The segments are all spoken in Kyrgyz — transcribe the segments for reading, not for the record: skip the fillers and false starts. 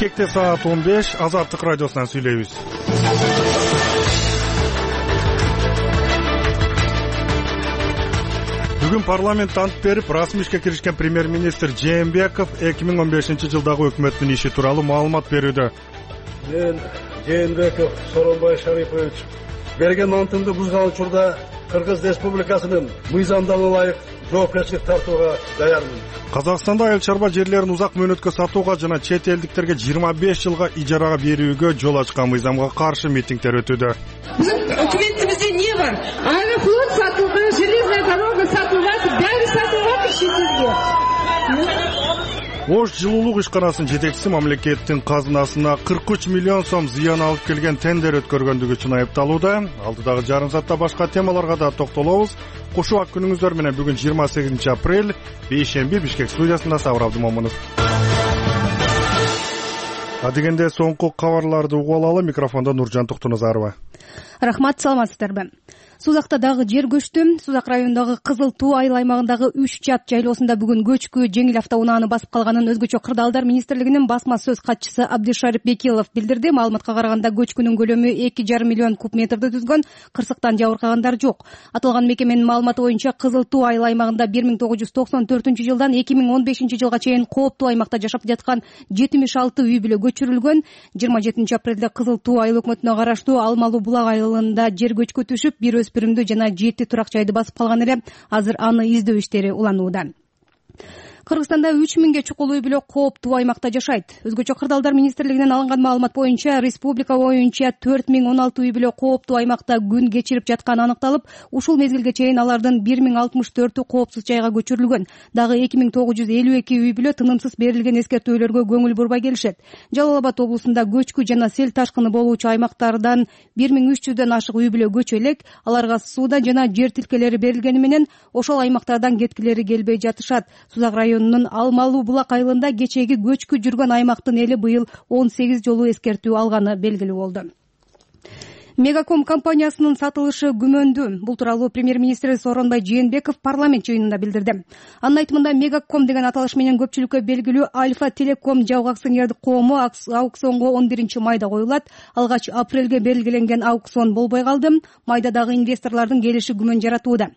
Бишкекте саат 15, Азаттык радиосунан сүйлөйбүз. Бүгүн парламент ант берип, расмий ишке киришкен премьер-министр Жээнбеков 2015-жылдагы өкмөттүн иши тууралуу маалымат берүүдө. Мен Жээнбеков Сооронбай Шарипович берген антымды бузган учурда Кыргыз Республикасынын мыйзамдана ылайык жоопкерчилик тартууга даярмын. Казакстанда айыл чарба жерлерин узак мөөнөткө сатууга жана чет элдиктерге 25 жылга ижарага берүүгө жол ачкан мыйзамга каршы митингдер өтүүдө. Биздин өкмөтүбүздө эмне бар? Аэрофлот сатылган, железная дорога сатылган, баары сатылган ишсизге. Ош жылуулук ишканасынын жетекчиси мамлекеттин казынасына 43 миллион сом зыян алып келген тендер өткөргөндүгү үчүн айыпталууда. Алдыдагы жарым саатта башка темаларга да токтолобуз. Кушубак күнүңүздөр менен бүгүн 28 апрель, бейшемби, Бишкек студиясында Сабыр Абдымомунов. Адегенде соңку кабарларды угуп алалы. Микрофондо Нуржан Токтоназарова. Рахмат, саламатсыздарбы? Сузакта дагы жер көчтү. Сузак районундагы Кызыл Туу айыл аймагындагы 3 чат жайлоосунда бүгүн көчкү жеңил автоунааны басып калганын өзгөчө кырдаалдар министрлигинин басма сөз катчысы Абдишарип Бекилов билдирди. Маалыматка караганда көчкүнүн көлөмү 2,5 миллион куб метрди түзгөн, кырсыктан жабыркагандар жок. Аталган мекеменин маалыматы боюнча Кызыл Туу айыл аймагында 1994-жылдан 2015-жылга чейин кооптуу аймакта жашап жаткан 76 үй бүлө көчүрүлгөн. 27 апрелде Кызыл Туу айыл өкмөтүнө караштуу Алмалуу булак айылында жер көчкү түшүп, бир өспүрүмдү жана 7 турак жайды басып калган эле. Азыр аны издөө иштери уланууда. Кыргызстанда 3000ге чукул үй бүлө кооптуу аймакта жашайт. Өзгөчө кырдаалдар министрлигинен алынган маалымат боюнча республика боюнча 4016 үй бүлө кооптуу аймакта күн кечирип жатканы аныкталып, ушул мезгилге чейин алардын 1064-ü коопсуз жайга көчүрүлгөн. Дагы 2952 үй бүлө тынымсыз берилген эскертүүлөргө көңүл бурбай келишет. Жалал Абад облусунда көчкү жана сел ташкыны болуучу аймактардан 1300дөн ашык үй бүлө көчө элек. Аларга суудан жана жер тилкелери берилгени менен ошол аймактардан кеткилери келбей жатышат. Сузак районунун Алмалуу булак айылында кечеги көчкү жүргөн аймактын эли быйыл 18 жолу эскертүү алганы белгилүү болду. Мегаком компаниясынын сатылышы күмөндүү. Бул тууралуу премьер-министр Сооронбай Жээнбеков парламент жыйынында билдирди. Анын айтымында Мегаком деген аталыш менен көпчүлүккө белгилүү Альфа Телеком жабык акционердик коому аукционго 11-майда коюлат. Алгач апрелге белгиленген аукцион болбой калды. Майда дагы инвесторлордун келиши күмөн жаратууда.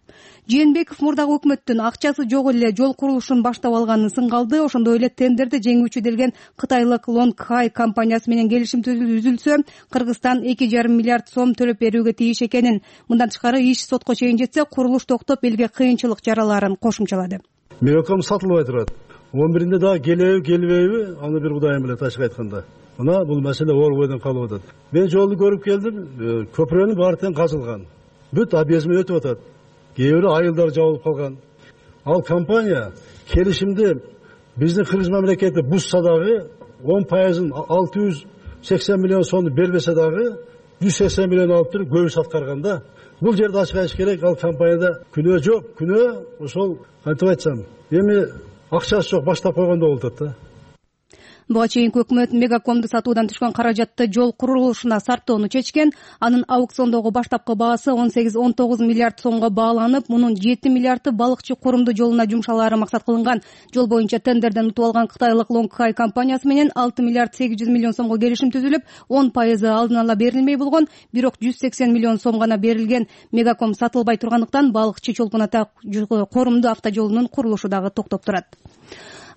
Жээнбеков мурдагы өкмөттүн акчасы жок эле жол курулушун баштап алганын сынгалды. Ошондой эле тендерди жеңүүчү делген кытайлык Long Hai компаниясы менен келишим түзүлсө, Кыргызстан 2,5 миллиард сом төлөп берүүгө тийиш экенин. Мындан тышкары иш сотко чейин жетсе, курулуш токтоп элге кыйынчылык жараларын кошумчалады. Мегаком сатылбай турат. 11-инде дагы келеби, келбейби, аны бир Кудайым билет ачык айтканда. Мына бул маселе орбойдон калып атат. Мен жолду көрүп келдим, көпүрөнүн баары тең казылган. Бүт объездме өтүп атат. Кээ бирөө айылдар жабылып калган. Ал компания келишимди биздин Кыргыз мамлекети бузса дагы 10%-ын 680 миллион сомду бербесе дагы 180 миллион алып туруп көбүс аткарганда, бул жерде ачык айтыш керек, ал компанияда күнөө жок. Күнөө ошол кантип айтсам, эми акчасы жок баштап койгондо болуп атат да. Буга чейинки өкмөт Мегакомду сатуудан түшкөн каражатты жол курулушуна сарптоону чечкен. Анын аукциондогу баштапкы баасы 18-19 миллиард сомго бааланып, мунун 7 миллиарды балыкчы корумду жолуна жумшалаары максат кылынган. Жол боюнча тендерден утуп алган кытайлык Long Hai компаниясы менен 6 миллиард 800 миллион сомго келишим түзүлүп, 10% алдын ала берилмей болгон, бирок 180 миллион сом гана берилген. Мегаком сатылбай тургандыктан балыкчы чолпон ата корумду автожолунун курулушу дагы токтоп турат.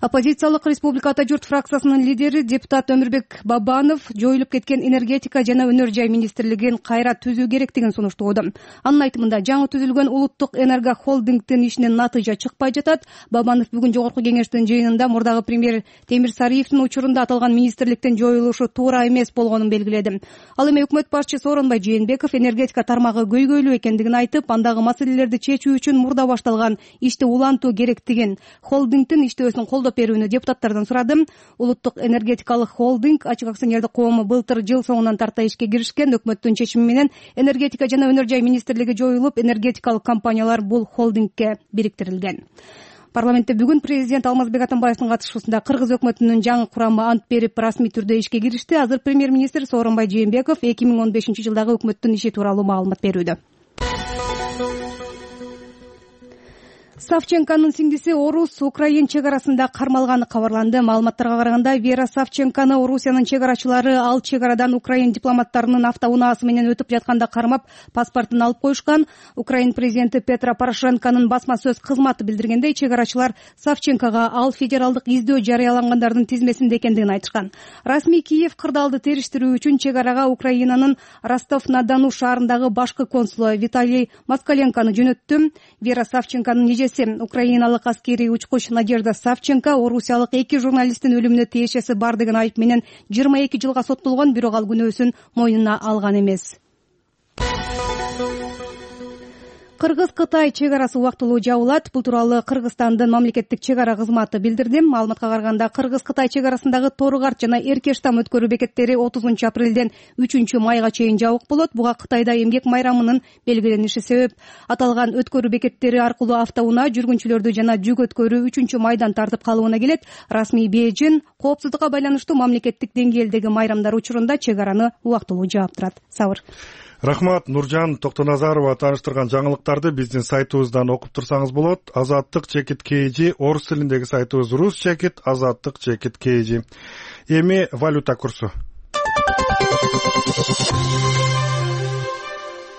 Оппозициялык Республика Ата журт фракциясынын лидери депутат Өмүрбек Бабанов жоюлуп кеткен энергетика жана өнөр жай министрлигин кайра түзүү керектигин сунуштоодо. Анын айтымында жаңы түзүлгөн улуттук энерго холдингдин ишинен натыйжа чыкпай жатат. Бабанов бүгүн жогорку кеңештин жыйынында мурдагы премьер Темир Сариевдин учурунда аталган министрликтин жоюлушу туура эмес болгонун белгиледи. Ал эми өкмөт башчы Сооронбай Жээнбеков энергетика тармагы көйгөйлүү экендигин айтып, андагы маселелерди чечүү үчүн мурда башталган ишти улантуу керектигин, холдингдин иштөөсүн колдоп берүүнү депутаттардан сурады. Улуттук энергетикалык холдинг ачык акционердик коому былтыр жыл соңунан тарта ишке киришкен. Өкмөттүн чечими менен энергетика жана өнөр жай министрлиги жоюлуп, энергетикалык компаниялар бул холдингке бириктирилген. Парламентте бүгүн президент Алмазбек Атамбаевдин катышуусунда Кыргыз өкмөтүнүн жаңы курамы ант берип, расмий түрдө ишке киришти. Азыр премьер-министр Сооронбай Жээнбеков 2015-жылдагы өкмөттүн иши тууралуу маалымат берүүдө. Савченконун сиңдиси орус-украин чек арасында кармалганы кабарланды. Маалыматтарга караганда, Вера Савченкону Орусиянын чек арачылары ал чек арадан украин дипломаттарынын автоунаасы менен өтүп жатканда кармап, паспортун алып коюшкан. Украин президенти Петро Порошенконун басма сөз кызматы билдиргендей, чек арачылар Савченкого ал федералдык издөө жарыялангандардын тизмесинде экендигин айтышкан. Расмий Киев кырдаалды териштирүү үчүн чек арага Украинанын Ростов-на-Дону шаарындагы башкы консулу Виталий Москаленкону жөнөттү. Вера Савченконун украиналык аскерий учкуч Надежда Савченко орусиялык 2 журналисттин өлүмүнө тиешеси бар деген айып менен 22 жылга соттолгон, бирок ал күнөөсүн мойнуна алган эмес. Кыргыз-Кытай чек арасы убактылуу жабылат. Бул тууралуу Кыргызстандын мамлекеттик чек ара кызматы билдирди. Маалыматка караганда, Кыргыз-Кытай чек арасындагы Тору-Карт жана Эркештам өткөрүү бекеттери 30 апрелден 3 майга чейин жабык болот. Буга Кытайда эмгек майрамынын белгилениши себеп. Аталган өткөрүү бекеттери аркылуу автоунаа жүргүнчүлөрдү жана жүк өткөрүү 3 майдан тартып калыбына келет. Расмий Бейжин коопсуздукка байланыштуу мамлекеттик деңгээлдеги майрамдар учурунда чек араны убактылуу жаап турат. Сабыр. Рахмат, Нуржан Токтоназарова тааныштырган жаңылыктарды биздин сайтыбыздан окуп турсаңыз болот. Азаттык чекит KG, орус тилиндеги сайтыбыз рус чекит, азаттык чекит KG. Эми валюта курсу.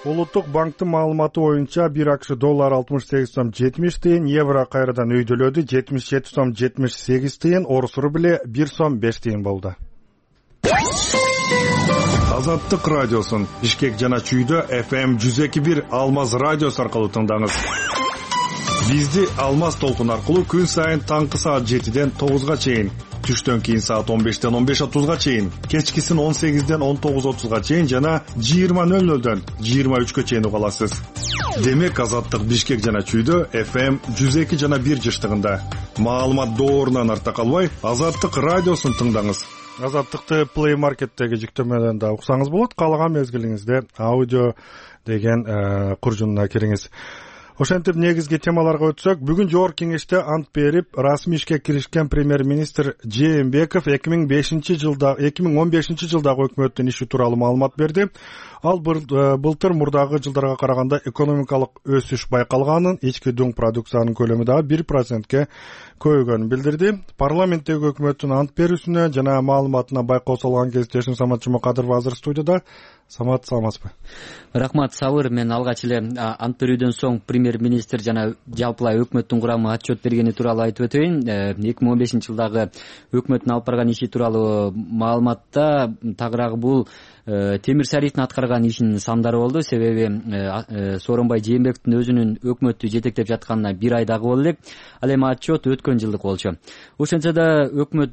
Улуттук банктын маалыматы боюнча 1 акш доллар 68 сом 70 тыйын, евро кайрадан өйдөлөдү 77 сом 78 тыйын, орус рубли 1 сом 5 тыйын болду. Азаттык радиосун Бишкек жана Чүйдө FM 102.1 Алмаз радиосу аркылуу тыңдаңыз. Бизди Алмаз толкун аркылуу күн сайын таңкы саат 7ден 9га чейин, түштөн кийин саат 15ден 15:30га чейин, кечкисин 18ден 19:30га чейин жана 20:00дөн 23гө чейин уга аласыз. Демек Азаттык Бишкек жана Чүйдө FM 102 жана 1 жыштыгында. Маалымат доорунан арта калбай, Азаттык радиосун тыңдаңыз. Азаттыкты Play Market'теги жүктөмөдөн да уксаңыз болот. Каалаган мезгилиңизде аудио деген куржунуна кириңиз. Ошентип негизги темаларга өтсөк, бүгүн жогорку кеңеште ант берип, расмий ишке киришкен премьер-министр Жээнбеков 2015 жылдагы өкмөттүн иши тууралуу маалымат берди. Ал былтыр мурдагы жылдарга караганда экономикалык өсүш байкалганын, ички дуң продукциянын көлөмү дагы 1%ке көбөйгөнүн билдирди. Парламенттеги өкмөттүн ант берүүсүнө жана маалыматына байкоо салган кездешим Самат Жумакадыров азыр студияда. Самат, саламатсызбы? Рахмат, Сабыр. Мен алгач эле ант берүүдөн соң премьер-министр жана жалпылай өкмөттүн курамы отчет бергени тууралуу айтып өтөйүн. 2015 жылдагы өкмөттүн алып барган иши тууралуу маалыматта тагыраагы бул Темир Сариевдин аткарган ишинин сандары болду. Себеби Сооронбай Жээнбековдун өзүнүн өкмөттү жетектеп жатканына 1 айдагы болду элек. Ал эми отчет өткөн жылдык болчу. Ошентсе да өкмөт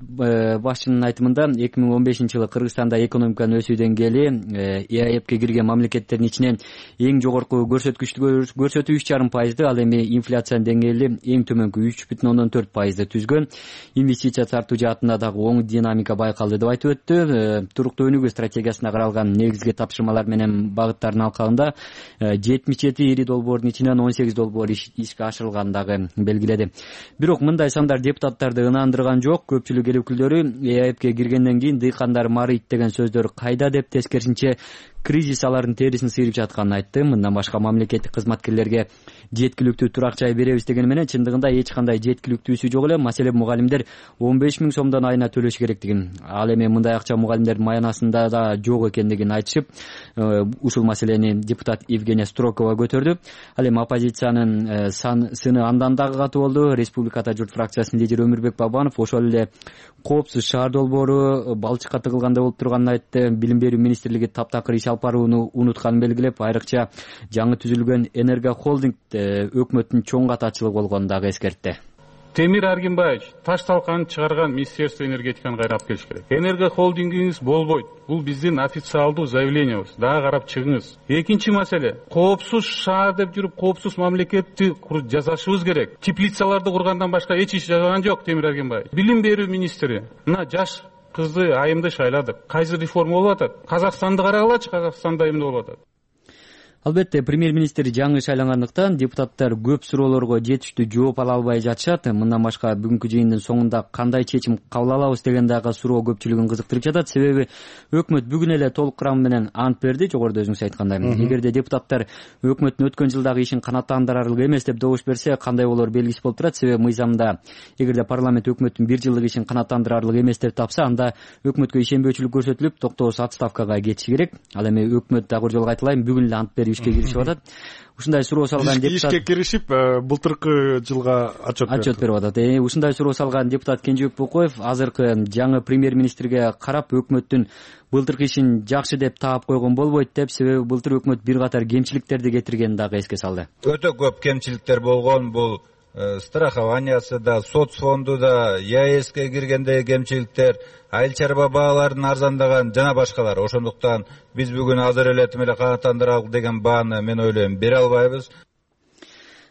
башчынын айтымында 2015 жылы Кыргызстанда экономиканын өсүү деңгээли ЕАЭПке кирген мамлекеттердин ичинен эң жогорку көрсөткүчтү көрсөтүү 3,5%, ал эми инфляциянын деңгээли эң төмөнкү 3,4%ды түзгөн. Инвестиция тартуу жаатында дагы оң динамика байкалды деп айтып өттү. Туруктуу өнүгүү стратегиясына каралган негизги тапшырмалар менен багыттардын алкагында 77 ири долбоордун ичинен 18 долбоор ишке ашырылганын дагы белгиледи. Бирок мындай сандар депутаттарды ынандырган жок. Көпчүлүк эл өкүлдөрү ЕАЭПке киргенден кийин дыйкандар марыйт деген сөздөр кайда деп тескерисинче кризис алардын терисин сыйрып жатканын айтты. Мындан башка мамлекеттик кызматкерлерге жеткиликтүү турак жай беребиз деген менен чындыгында эч кандай жеткиликтүүсү жок эле. Маселен, мугалимдер 15 000 сомдон айына төлөш керектигин, ал эми мындай акча мугалимдердин маянасында да жок экендигин айтышып, ушул маселени депутат Евгения Строкова көтөрдү. Ал эми оппозициянын сыны андан дагы катуу болду. Республикада журт фракциясынын лидери Өмүрбек Бабанов ошол эле коопсуз шаар долбоору балчыкка тыгылгандай болуп турганын айтты. Билим берүү министрлиги таптакыр иш алып барууну унутканын белгилеп, айрыкча жаңы түзүлгөн Энерго холдинг өкмөттүн чоң катачылыгы болгонун дагы эскертти. Темир Аргимбаевич таш талканын чыгарган Министерство энергетиканы кайрап келиш керек. Энерго холдингиңиз болбойт. Бул биздин официалдуу заявлениябыз. Дагы карап чыгыңыз. Экинчи маселе, коопсуз шаар деп жүрүп, коопсуз мамлекетти жасашыбыз керек. Теплицаларды кургандан башка эч иш жасаган жок Темир Аргимбаевич. Билим берүү министри мына жаш кызды айымды шайладык. Кайсы реформа болуп атат? Казакстанды карагалачы, Казакстанда эмне болуп атат? Албетте, премьер-министр жаңы шайлангандыктан депутаттар көп суроолорго жетиштүү жооп ала албай жатышат. Мындан башка бүгүнкү жыйындын соңунда кандай чечим кабыл алабыз деген дагы суроо көпчүлүгүн кызыктырып жатат. Себеби өкмөт бүгүн эле толук курамы менен ант берди. Жогоруда өзүңүз айткандай, эгерде депутаттар өкмөттүн өткөн жылдагы ишин канааттандырарлык эмес деп добуш берсе, кандай болор белгисиз болуп турат. Себеби мыйзамда эгерде парламент өкмөттүн бир жылдык ишин канааттандырарлык эмес деп тапса, анда өкмөткө ишенбөөчүлүк көрсөтүлүп, токтоосуз отставкага кетиши керек. Ал эми өкмөт дагы бир жолу айтылайын, бүгүн эле ант берип ишке киришип атат. Ушундай суроо салган депутат ишке киришип, былтыркы жылга отчет берип атат. Ушундай суроо салган депутат Кенжебек Бокоев азыркы жаңы премьер-министрге карап өкмөттүн былтыркы ишин жакшы деп таап койгон болбойт деп, себеби былтыр өкмөт бир катар кемчиликтерди кетиргенин дагы эске салды. Өтө көп кемчиликтер болгон, бул страхованиясы да, соцфонду да, ЯЭСке киргендеги кемчиликтер, айыл чарба бааларын арзандаган жана башкалар. Ошондуктан биз бүгүн азыр эле тим эле канааттандыралык деген бааны мен ойлойм бере албайбыз.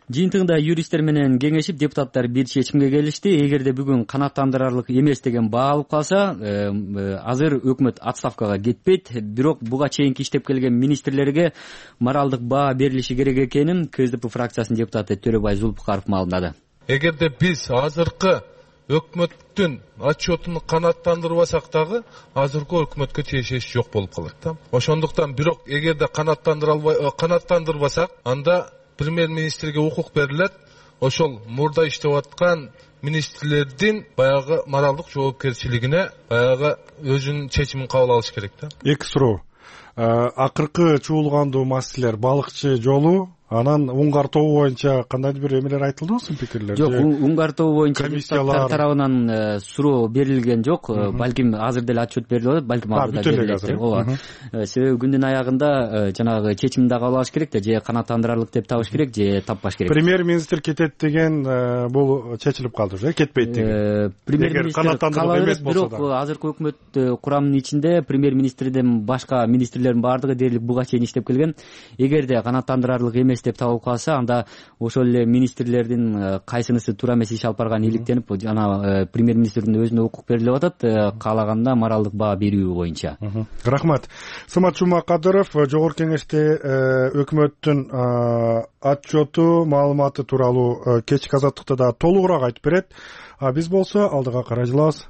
Жыйынтыгында юристтер менен кеңешип депутаттар бир чечимге келишти. Эгерде бүгүн канааттандырарлык эмес деген баа алып калса, азыр өкмөт отставкага кетпейт. Бирок буга чейинки иштеп келген министрлерге моралдык баа берилиши керек экенин КСДП фракциясынын депутаты Төлөбай Зулпукаров маалымдады. Эгерде биз азыркы өкмөттүн отчетун канааттандырбасак дагы азыркы өкмөткө тиешеси жок болуп калат да. Ошондуктан бирок эгерде канааттандырбасак, анда премьер-министрге укук берилет. Ошол мурда иштеп аткан министрлердин баягы моралдык жоопкерчилигине баягы өзүнүн чечимин кабыл алыш керек да. Эки суроо. Акыркы чуулгандуу маселелер балыкчы жолу, анан Уңгар тобу боюнча кандайдыр бир эмелер айтылдыбы, пикирлер? Жок, Уңгар тобу боюнча депутаттар тарабынан суроо берилген жок. Балким азыр деле отчет берилип атат, балким азыр да берилет. Ооба. Себеби күндүн аягында жанагы чечимди да кабыл алыш керек да, же канааттандырарлык деп табыш керек, же таппаш керек. Премьер-министр кетет деген бул чечилип калды уже, кетпейт деген. Премьер-министр кала берет, бирок азыркы өкмөт курамынын ичинде премьер-министрден башка министрлердин баардыгы дээрлик буга чейин иштеп келген. Эгерде канааттандырарлык эмес деп табылып калса, анда ошол эле министрлердин кайсынысы туура эмес иш алып барганы иликтенип, жана премьер-министрдин өзүнө укук берилип атат, каалаганда моралдык баа берүү боюнча. Рахмат. Самат Жумакадыров жогорку кеңеште өкмөттүн отчету, маалыматы тууралуу кечки азаттыкта да толугураак айтып берет. Биз болсо алдыга карай жылабыз.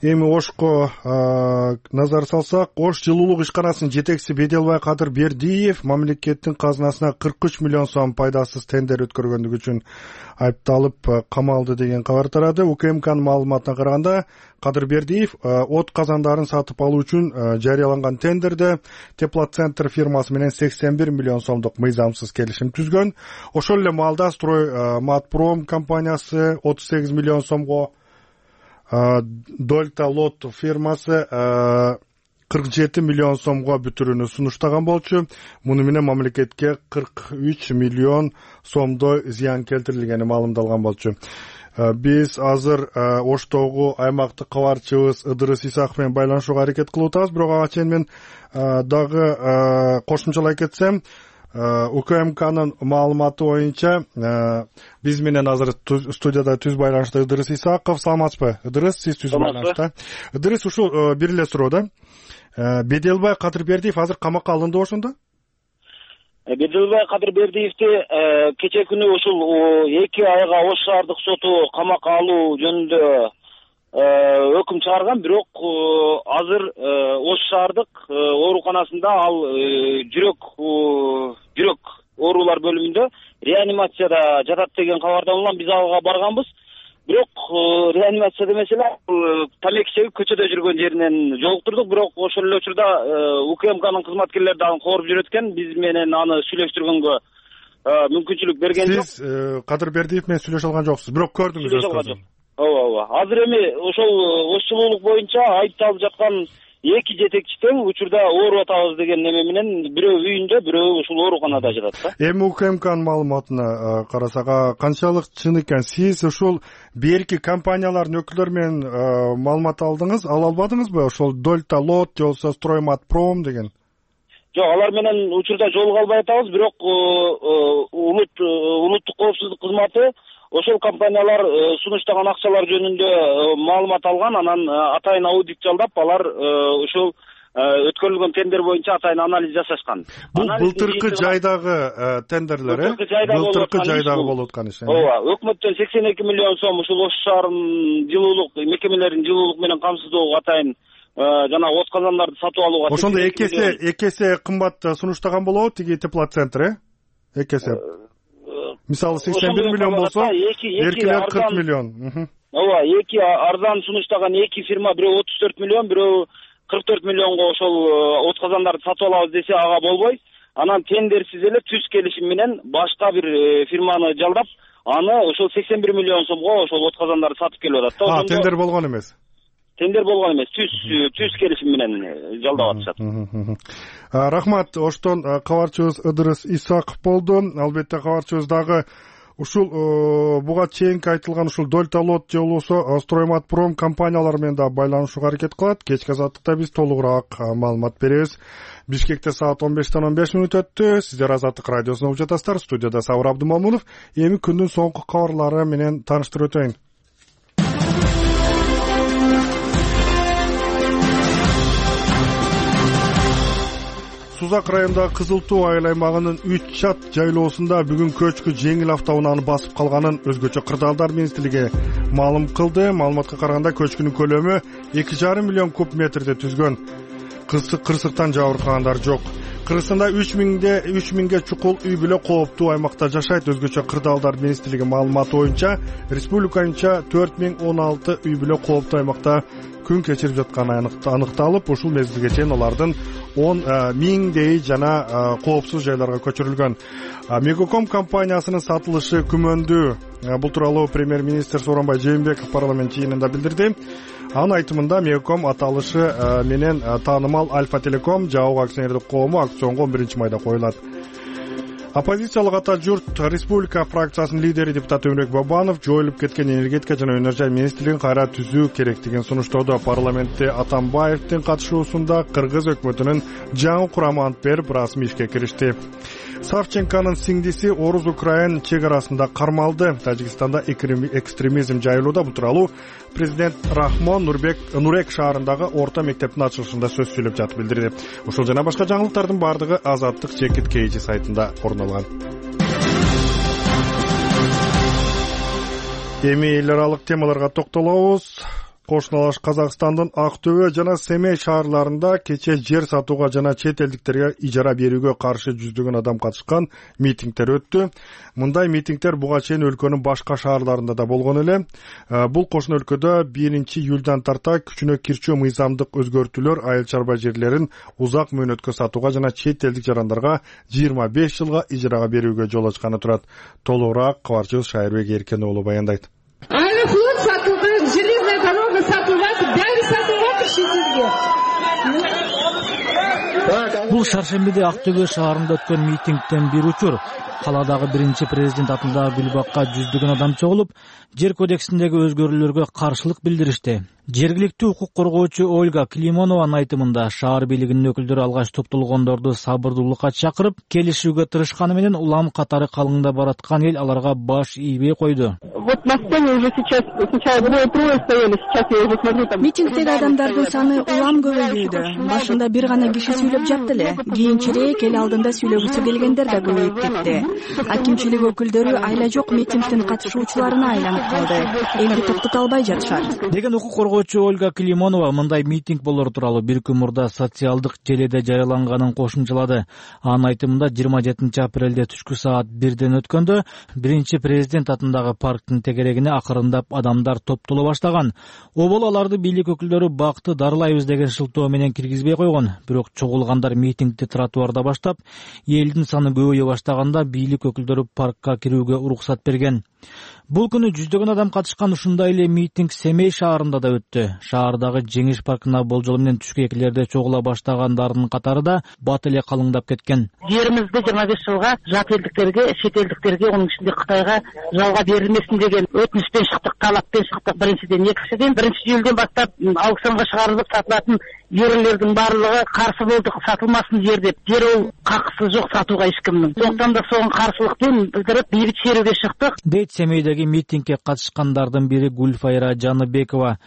Эми Ошко назар салсак, Ош жылуулук ишканасынын жетекчиси Беделбай Кадыр Бердиев мамлекеттин казынасына 43 миллион сом пайдасыз тендер өткөргөндүгү үчүн айыпталып камалды деген кабар тарады. УКМКнын маалыматына караганда, Кадыр Бердиев от казандарын сатып алуу үчүн жарыяланган тендерде Теплоцентр фирмасы менен 81 миллион сомдук мыйзамсыз келишим түзгөн. Ошол эле маалда Стройматпром компаниясы 38 миллион сомго, Дольта Лот фирмасы 47 миллион сомго бүтүрүүнү сунуштаган болчу. Муну менен мамлекетке 43 миллион сомдой зыян келтирилгени маалымдалган болчу. Биз азыр Оштогу аймактык кабарчыбыз Ыдырыс Исаков менен байланышууга аракет кылып атабыз, бирок ага чейин мен дагы кошумчалай кетсем, УКМКнын маалыматы боюнча биз менен азыр студияда түз байланышта Ыдырыс Исаков. Саламатсызбы, Ыдырыс? Сиз түз байланышта. Ыдырыс, ушул бир эле суроо да. Беделбай Кадыр Бердиев азыр камакка алынды ошондо? Беделбай Кадыр Бердиевди кечээ күнү ушул 2 айга Ош шаардык соту камакка алуу жөнүндө өкүм чыгарган, бирок азыр Ош шаардык ооруканасында ал жүрөк оорулар бөлүмүндө реанимацияда жатат деген кабардан улам биз ага барганбыз. Бирок реанимацияда эмес эле тамеки чегип көчөдө жүргөн жеринен жолуктурдук. Бирок ошол эле учурда УКМКнын кызматкерлери дагы кооруп жүрөт экен. Биз менен аны сүйлөштүргөнгө мүмкүнчүлүк берген жок. Сиз Кадыр Бердиев менен сүйлөшө алган жоксуз, бирок көрдүңүз өзүңүз. Ооба. Азыр эми ошол Ош жылуулук боюнча айыпталып жаткан 2 жетекчи тең учурда ооруп атабыз деген неме менен бирөө үйүндө, бирөө ушул ооруканада жатат да. Эми УКМКнын маалыматына карасак, канчалык чын экен? Сиз ушул берки компаниялардын өкүлдөрү менен маалымат алдыңыз, ала албадыңызбы? Ошол Дольта Лот же болбосо Стройматпром деген? Жок, алар менен учурда жолуга албай атабыз, бирок улуттук коопсуздук кызматы ошол компаниялар сунуштаган акчалар жөнүндө маалымат алган, анан атайын аудит жалдап, алар ошол өткөрүлгөн тендер боюнча атайын анализ жасашкан. Бул былтыркы жайдагы тендерлер, былтыркы жайдагы болуп аткан иш. Ооба, өкмөттөн 82 миллион сом ушул Ош шаарынын жылуулук мекемелеринин жылуулук менен камсыздоого атайын жанагы от казандарды сатып алууга. Ошондо эки эсе кымбат сунуштаган болобу тиги теплоцентр, эки эсе. Мисалы 81 миллион болсо, эркилер 40 миллион. Ооба, эки арзан сунуштаган эки фирма, бирөө 34 миллион, бирөө 44 миллионго ошол от казандарды сатып алабыз десе ага болбой. Анан тендерсиз эле түз келишим менен башка бир фирманы жалдап, аны ошол 81 миллион сомго ошол от казандарды сатып келип атат да. Тендер болгон эмес. Тендер болгон эмес, түз келишим менен жалдап атышат. Рахмат. Оштон кабарчыбыз Ыдырыс Исаков болду. Албетте кабарчыбыз дагы ушул буга чейинки айтылган ушул Дольталот же болбосо Стройматпром компаниялары менен да байланышууга аракет кылат. Кечки азаттыкта биз толугураак маалымат беребиз. Бишкекте саат 15-тен 15 мүнөт өттү. Сиздер Азаттык радиосун угуп жатасыздар. Студияда Сабыр Абдымомунов. Эми күндүн соңку кабарлары менен тааныштырып өтөйүн. Сузак районундагы Кызыл Туу айыл аймагынын 3 чат жайлоосунда бүгүн көчкү жеңил автоунааны басып калганын өзгөчө кырдаалдар министрлиги маалым кылды. Маалыматка караганда көчкүнүн көлөмү 2,5 миллион куб метрди түзгөн. Кырсыктан жабыркагандар жок. Кыргызстанда 3000ге чукул үй бүлө кооптуу аймакта жашайт. Өзгөчө кырдаалдар министрлиги маалыматы боюнча республика боюнча 4016 үй бүлө кооптуу аймакта күн кечирип жатканы аныкталып, ушул мезгилге чейин алардын 10.000 жана коопсуз жайларга көчүрүлгөн. Мегаком компаниясынын сатылышы күмөндүү. Бул тууралуу премьер-министр Сооронбай Жээнбеков парламент жыйынында билдирди. Анын айтымында Мегаком аталышы менен таанымал Альфа Телеком жабык акционердик коому аукционго 11-майда коюлат. Оппозициялык ата журт республика фракциясынын лидери депутат Өмүрбек Бабанов жоюлуп кеткен энергетика жана өнөр жай министрлигин кайра түзүү керектигин сунуштоодо. Парламентте Атамбаевдин катышуусунда Кыргыз өкмөтүнүн жаңы курамы ант берип расмий ишке киришти. Савченконун сиңдиси Орус-Украин чек арасында кармалды. Тажикстанда экстремизм жайылууда. Бул тууралуу президент Рахмон Нурек шаарындагы орто мектептин ачылышында сөз сүйлөп жатып билдирди. Ушул жана башка жаңылыктардын бардыгы Азаттык чекит KG сайтында орун алган. Эми эл аралык темаларга токтолобуз. Кошуналаш Казакстандын Актөбө жана Семей шаарларында кече жер сатууга жана чет элдиктерге ижара берүүгө каршы жүздөгөн адам катышкан митингдер өттү. Мындай митингдер буга чейин өлкөнүн башка шаарларында да болгон эле. Бул кошуна өлкөдө 1-июлдан тарта күчүнө кирчүү мыйзамдык өзгөртүүлөр айыл чарба жерлерин узак мөөнөткө сатууга жана чет элдик жарандарга 25 жылга ижарага берүүгө жол ачканы турат. Толугураак кабарчыбыз Шайырбек Эркен уулу баяндайт. Аэрофлот сатылган, железная дорога сатылган, баары сатылган ишинизге. Бул шаршембиде Актөбө шаарында өткөн митингден бир учур. Каладагы биринчи президент атындагы гүлбакка жүздөгөн адам чогулуп, жер кодексиндеги өзгөрүүлөргө каршылык билдиришти. Жергиликтүү укук коргоочу Ольга Климонованын айтымында шаар бийлигинин өкүлдөрү алгач топтолгондорду сабырдуулукка чакырып, келишүүгө тырышканы менен улам катары калыңдап бараткан эл аларга баш ийбей койду. Вот на сцене уже сейчас сначала двое стояли, сейчас я уже смотрю там. Митингдеги адамдардын саны улам көбөйүүдө. Башында бир гана киши сүйлөп жатты эле. Кийинчерээк эл алдында сүйлөгүсү келгендер да көбөйүп кетти. Акимчилик өкүлдөрү айла жок митингдин катышуучуларына айланып калды. Элди токтото албай жатышат деген укук коргоочу Ольга Климонова мындай митинг болор тууралуу бир күн мурда социалдык желеде жарыяланганын кошумчалады. Анын айтымында 27 апрелде түшкү саат 1ден өткөндө биринчи президент атындагы парктын тегерегине акырындап адамдар топтоло баштаган. Обол аларды бийлик өкүлдөрү бакты дарылайбыз деген шылтоо менен киргизбей койгон. Бирок чогулгандар митингди тротуарда баштап, элдин саны көбөйө баштаганда бийлик өкүлдөрү паркка кирүүгө уруксат берген. Бул күнү жүздөгөн адам катышкан ушундай эле митинг Семей шаарында да өттү. Шаардагы Жеңиш паркына болжол менен түшкү экилерде чогула баштагандардын катары да бат эле калыңдап кеткен. Жеримизди 25 жылга жат элдиктерге, чет элдиктерге, анын ичинде Кытайга жалга берилмесин деген өтүнүчтөн чыктык, талаппен чыктык. Биринчиден, экинчиден 1-июлдан баштап аукционго чыгарылып сатылатын жерлердин баардыгы каршы болдук, сатылмасын жер деп. Жер ол какысы жок сатууга эч кимдин. Сондуктан да сонун каршылыкпен билдирип бейбит шерүүгө чыктык. Дейт Семейдеги митингге катышкандардын бири Гүлфайра Жаныбекова.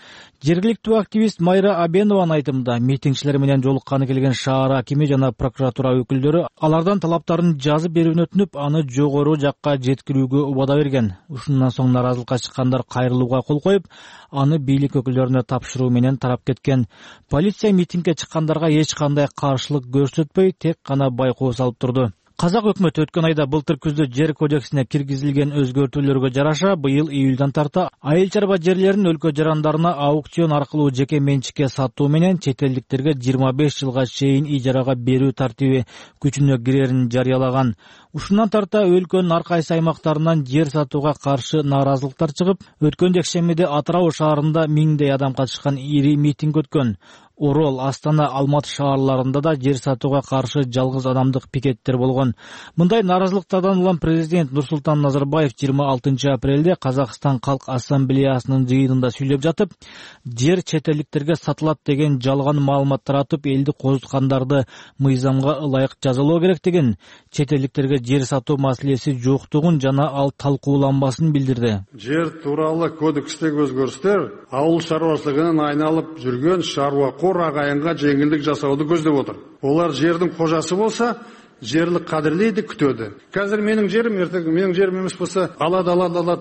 Жергиликтүү активист Майра Абенованын айтымында митингчилер менен жолукканы келген шаар акими жана прокуратура өкүлдөрү алардан талаптарын жазып берүүнү өтүнүп, аны жогору жакка жеткирүүгө убада берген. Ушундан соң наразылыкка чыккандар кайрылууга кол коюп, аны бийлик өкүлдөрүнө тапшыруу менен тарап кеткен. Полиция митингге чыккандарга эч кандай каршылык көрсөтпөй, тек гана байкоо салып турду. Казак өкмөтү өткөн айда былтыр күздө жер кодексине киргизилген өзгөртүүлөргө жараша быйыл июлдан тарта айыл чарба жерлерин өлкө жарандарына аукцион аркылуу жеке менчикке сатуу менен чет элдиктерге 25 жылга чейин ижарага берүү тартиби күчүнө кирерин жарыялаган. Ушундан тарта өлкөнүн ар кайсы аймактарынан жер сатууга каршы нааразылыктар чыгып, өткөн жекшембиде Атырау шаарында миңдей адам катышкан ири митинг өткөн. Орол, Астана, Алматы шаарларында да жер сатууга каршы жалгыз адамдык пикеттер болгон. Мындай нааразылыктардан улам президент Нурсултан Назарбаев 26 апрелде Казакстан Калк Ассамблеясынын жыйынында сүйлөп жатып, жер чет элдиктерге сатылат деген жалган маалымат таратып, элди козуткандарды мыйзамга ылайык жазалоо керектигин, чет элдиктерге жер сатуу маселеси жоктугун жана ал талкууланбасын билдирди. Жер тууралуу кодекстеги өзгөрүштөр ауыл шаруашылыгынан айналып жүргөн шаруакор агайынга жеңилдик жасауду көздөп отур. Олар жердин кожасы болса, жерди кадырлейди, күтөдү. Қазір менің жерім, ертең менің жерім эмес болса, алады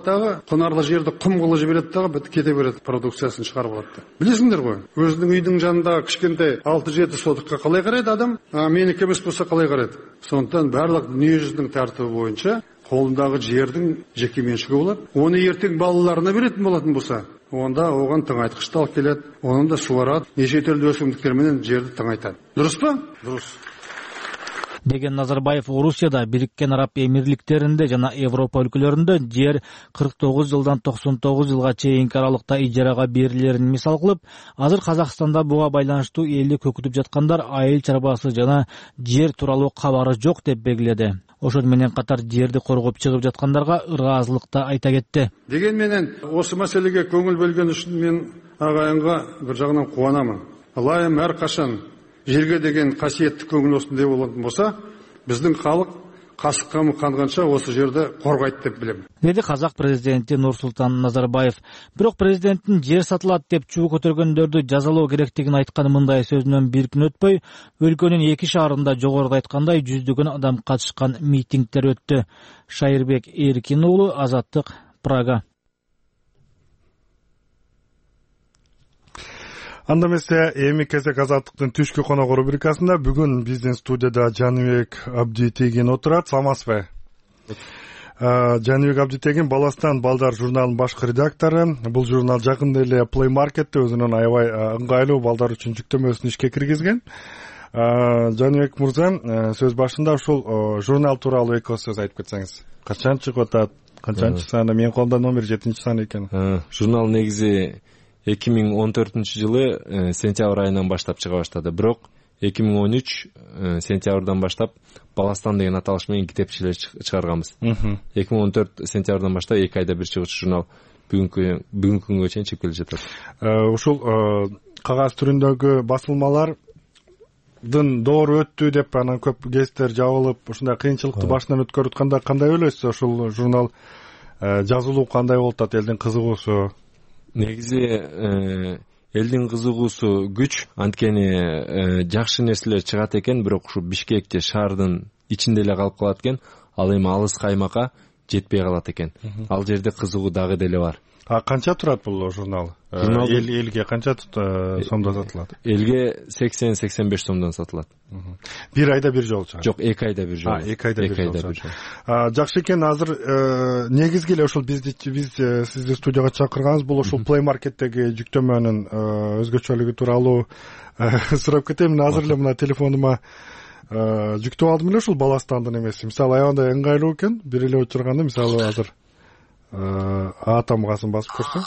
дагы кунарлы жерди кум кылып жиберет дагы бүт кете берет, продукциясын чыгарып алат. Билесиңдер го, өзүнүн үйдүн жанындагы кичкентай 6-7 сотукка калай карайт адам, меники эмес болса калай карайт. Сондуктан барлык дүнүйө жүзүнүн тартыбы боюнча колундагы жердин жеке менчиги болот. Оны эртең балаларына беретін болатын болса, онда оған тыңайткычты алып келет, оны да суарат, неше түрлүү өсүмдүктөр менен жерди тыңайтат. Дурус па? Дурус. Деген Назарбаев Орусияда, Бириккен Араб Эмирликтеринде жана Европа өлкөлөрүндө жер 49 жылдан 99 жылга чейинки аралыкта ижарага берилерин мисал кылып, азыр Казакстанда буга байланыштуу элди көкүтүп жаткандар айыл чарбасы жана жер тууралуу кабары жок деп белгиледи. Ошол менен катар жерди коргоп чыгып жаткандарга ыраазылыкты айта кетти. Деген менен осы маселеге көңүл бөлгөн үчүн мен агайынга бир жагынан кубанамын. Ылайым ар качан жерге деген касиеттик көңүл осундай болатын болса, биздин калык касыкка канганча осы жерди коргойт деп билем. Деди Казак президенти Нурсултан Назарбаев. Бирок президенттин жер сатылат деп чуу көтөргөндөрдү жазалоо керектигин айткан мындай сөзүнөн бир күн өтпөй, өлкөнүн 2 шаарында жогоруда айткандай жүздөгөн адам катышкан митингдер өттү. Шайырбек Эркин уулу, Азаттык, Прага. Анда эмесе эми кезек Азаттыктын түшкү конок рубрикасында бүгүн биздин студияда Жаныбек Абдитегин отурат. Саламатсызбы? Жаныбек Абдитегин Баластан балдар журналынын башкы редактору. Бул журнал жакында эле Play Market'te өзүнүн аябай ыңгайлуу балдар үчүн жүктөмөсүн ишке киргизген. Жаныбек мырза, сөз башында ушул журнал тууралуу эки сөз айтып кетсеңиз. Качан чыгып атат? Канчанчы саны? Менин колумда номер 7 сан экен. Журнал негизи 2014 жылы сентябрь айынан баштап чыга баштады. Бирок 2013 сентябрдан баштап Баластан деген аталыш менен китепчилер чыгарганбыз. 2014 сентябрдан баштап 2 айда бир чыгуучу журнал бүгүнкү күнгө чейин чыгып келе жатат. Ушул кагаз түрүндөгү басылмалардын доору өттү деп анан көп гезиттер жабылып, ушундай кыйынчылыкты башынан өткөрүп атканда кандай ойлойсуз? Ушул журнал жазылуу кандай болуп атат, элдин кызыгуусу? Негизи элдин кызыгуусу күч, анткени жакшы нерселер чыгат экен, бирок ушу Бишкекте шаардын ичинде эле калып калат экен, ал эми алыска аймакка жетпей калат экен. Ал жерде кызыгуу дагы деле бар. Канча турат бул журнал? Элге канча сомдон сатылат? Элге 80-85 сомдон сатылат. Бир айда бир жолу чыгат. Жок, 2 айда бир жолу. 2 айда бир жолу. Жакшы экен. Азыр негизги эле ушул биз сизди студияга чакырганбыз. Бул ушул Play Market'tеги жүктөмөнүн өзгөчөлүгү тууралуу сурап кетем. Азыр эле мына телефонума жүктөп алдым эле ушул Баластандын эмеси. Мисалы аябай ыңгайлуу экен. Бир эле учурганда мисалы азыр А тамгасын басып көрсөң.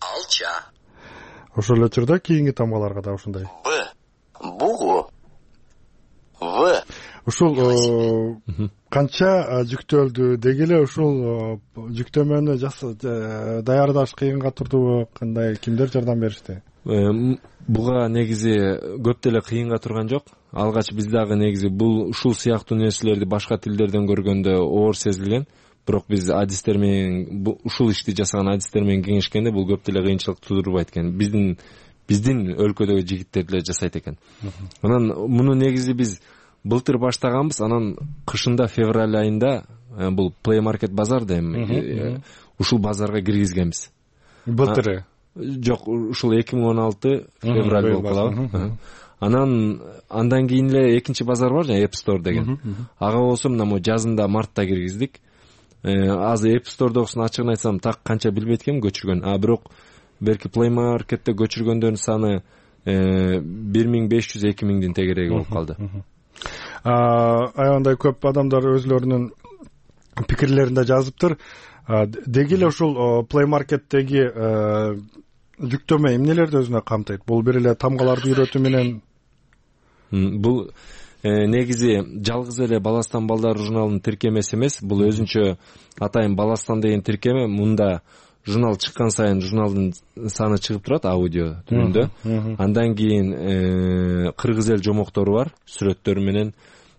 Алча. Ошол эле учурда кийинки тамгаларга да ушундай. Б. Бугу. В. ушул канча жүктөлдү, деги эле ушул жүктөмөнү даярдаш кыйынга турдубу, кандай, кимдер жардам беришти? Буга негизи көп деле кыйынга турган жок. Алгач биз дагы негизи ушул сыяктуу нерселерди башка тилдерден көргөндө оор сезилген. Бирок биз адистер менен ушул ишти жасаган адистер менен кеңешкенде бул көп деле кыйынчылык туудурбайт экен. Биздин өлкөдөгү жигиттер деле жасайт экен. Анан муну негизи биз былтыр баштаганбыз. Анан кышында февраль айында бул Play Market базар да эми ушул базарга киргизгенбиз. Былтыры? Жок, ушул 2016 февраль болуп калабы. Андан кийин эле экинчи базар бар жана App Store деген. Ага болсо мына могу жазында мартта киргиздик. Азыр App Store'догусун ачыгын айтсам так канча билбейт экенмин көчүргөн. Бирок белки Play Market'те көчүргөндөрдүн саны 1500-2000дин тегереги болуп калды. Аябандай көп адамдар өзлөрүнүн пикирлеринде жазыптыр. Деги эле ушул Play Market'теги жүктөмө эмнелерди өзүнө камтыйт? Бул бир эле тамгаларды үйрөтүү менен? Бул негизи жалгыз эле Баластан балдар журналынын тиркемеси эмес, бул өзүнчө атайын Баластан деген тиркеме. Мында журнал чыккан сайын журналдын саны чыгып турат аудио түрүндө. Андан кийин кыргыз эл жомоктору бар, сүрөттөрү менен.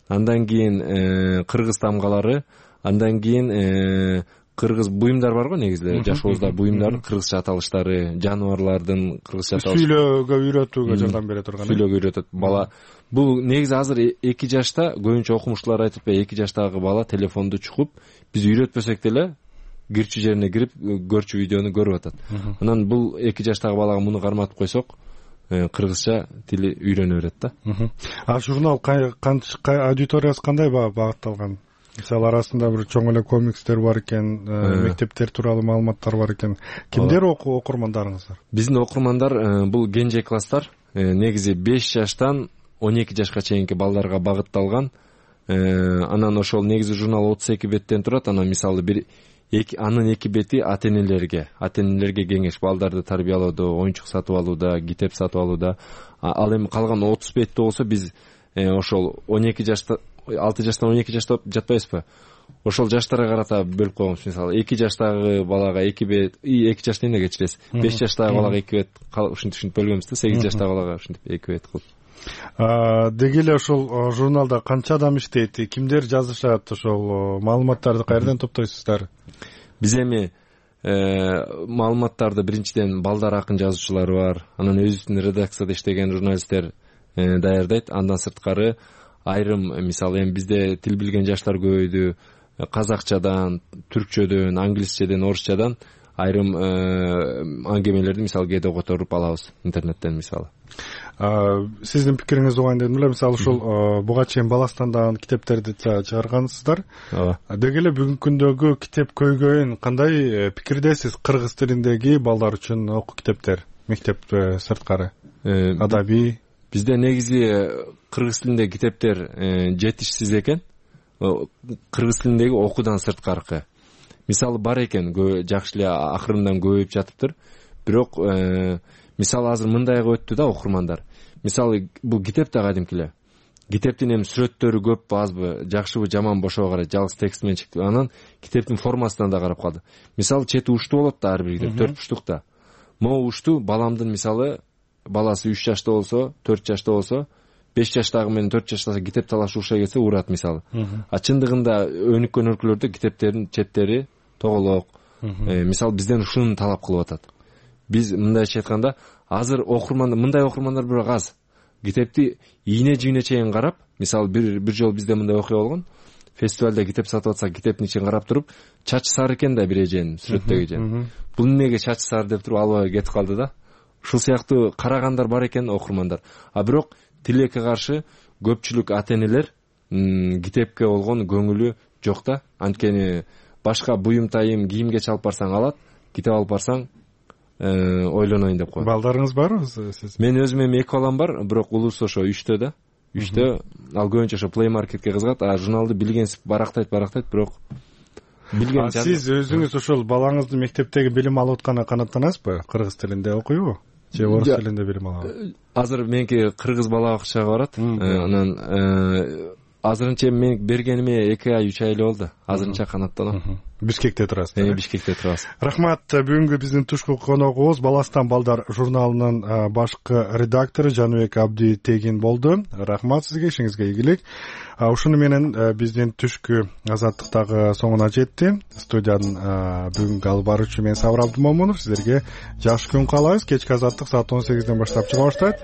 Андан кийин кыргыз тамгалары, андан кийин кыргыз буюмдар бар го, негизи жашообузда буюмдар, кыргызча аталыштары, жаныбарлардын кыргызча аталышы. Сүйлөөгө үйрөтүүгө жардам бере турган. Сүйлөөгө үйрөтөт бала. Бул негизи азыр 2 жашта, көбүнчө окумуштуулар айтып, 2 жаштагы бала телефонду чукуп, биз үйрөтпөсөк деле кирчү жерине кирип көрчү видеону көрүп атат. Анан бул 2 жаштагы балага муну карматып койсок, кыргызча тили үйрөнө берет да. Журнал аудиториясы кандай багытталган? Мисалы арасында бир чоң эле комикстер бар экен, мектептер тууралуу маалыматтар бар экен. Кимдер окурмандарыңыздар? Биздин окурмандар бул кенже класстар, негизи 5 жаштан 12 жашка чейинки балдарга багытталган. Анан ошол негизи журнал 32 беттен турат. Анан мисалы анын 2 бети ата-энелерге кеңеш, балдарды тарбиялоодо, оюнчук сатып алууда, китеп сатып алууда. Ал эми калган 30 бетте болсо биз ошол 12 жашта 6 жаштан 12 жашта жатпайбызбы? Ошол жаштарга карата бөлүп койгонбуз. Мисалы 2 жаштагы балага 2 бет, 2 жашта эмне кечиресиз? 5 жаштагы балага 2 бет ушинтип бөлгөнбүз да, 8 жаштагы балага ушинтип 2 бет кылып. Деги эле ошол журналда канча адам иштейт? Кимдер жазышат? Ошол маалыматтарды каерден топтойсуздар? Биз эми маалыматтарды биринчиден балдар акын жазуучулары бар. Анан өзүбүздүн редакцияда иштеген журналисттер даярдайт. Андан сырткары айрым, мисалы эми бизде тил билген жаштар көбөйдү. Казакчадан, түркчөдөн, англисчеден, орусчадан айрым аңгемелерди мисалы кээде которуп алабыз интернеттен мисалы. Сиздин пикириңизди угайын дедим эле. Мисалы ушул буга чейин Баластандагы китептерди чыгаргансыздар. Деги эле бүгүнкү күндөгү китеп көйгөйүн кандай пикирдесиз? Кыргыз тилиндеги балдар үчүн окуу китептер, мектеп сырткары, адабий. Бизде негизи кыргыз тилиндеги китептер жетишсиз экен. Кыргыз тилиндеги окуудан сырткаркы. Мисалы бар экен, жакшы эле акырындан көбөйүп жатыптыр. Бирок мисалы азыр мындайга өттү да окурмандар. Мисалы бул китеп да кадимки эле. Китептин эми сүрөттөрү көппү, азбы, жакшыбы, жаманбы ошого карайт, жалгыз текст менен чыкты. Анан китептин формасынан да карап калды. Мисалы чети уштуу болот да ар бир китеп, 4 буштукта. Могу уштуу баламдын мисалы баласы 3 жашта болсо, 4 жашта болсо, 5 жаштагы менен 4 жаштагы китеп талашып ушай кетсе урат мисалы. Чындыгында өнүккөн өлкөлөрдө китептердин четтери тоголок. Мисалы бизден ушуну талап кылып атат. Биз мындайча айтканда, азыр мындай окурмандар бирок аз. Китепти ийне-жийне чейин карап, мисалы бир жолу бизде мындай окуя болгон. Фестивалда китеп сатып атса, китептин ичин карап туруп, чачы сары экен да бир эженин, сүрөттөгү эженин. Бул эмнеге чачы сары деп туруп албай кетип калды да. Ушул сыяктуу карагандар бар экен окурмандар. Бирок тилекке каршы көпчүлүк ата-энелер китепке болгон көңүлү жок да. Анткени башка буюм тайым, кийимге чалып барсаң алат, китеп алып барсаң ойлонойн деп коет. Балдарыңыз барбы сиз? Мен өзүм эми 2 балам бар, бирок улуусу ошо 3тө да. 3тө, ал көбүнчө ошо Play Marketке кызыгат, журналды билгенсип барактайт, бирок билген. Сиз өзүңүз ошол балаңыздын мектептеги билим алып атканына канааттанасызбы? Кыргыз тилинде окуйбу? Же орус тилинде билим алабы? Азыр меники кыргыз бала бакчага барат. Анан азырынча мен бергениме 2 ай 3 ай эле болду. Азырынча канаттанам. Бишкекте турасыз. Бишкекте турабыз. Рахмат. Бүгүнкү биздин түшкү коногубуз Баластан балдар журналынын башкы редактору Жаныбек Абди Тегин болду. Рахмат сизге, ишиңизге ийгилик. Ушуну менен биздин түшкү азаттыктагы соңуна жетти. Студиянын бүгүнкү алып баруучу мен Сабыр Абдымомунов. Сиздерге жакшы күн каалайбыз. Кечки азаттык саат 18ден баштап чыга баштайт.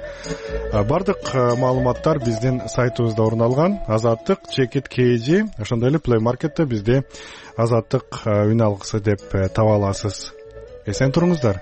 Бардык маалыматтар биздин сайтыбызда орун алган. Азаттык чекит KG, ошондой эле Play Market'те бизде азаттык үн алгысы деп таба аласыз. Эсен туруңуздар.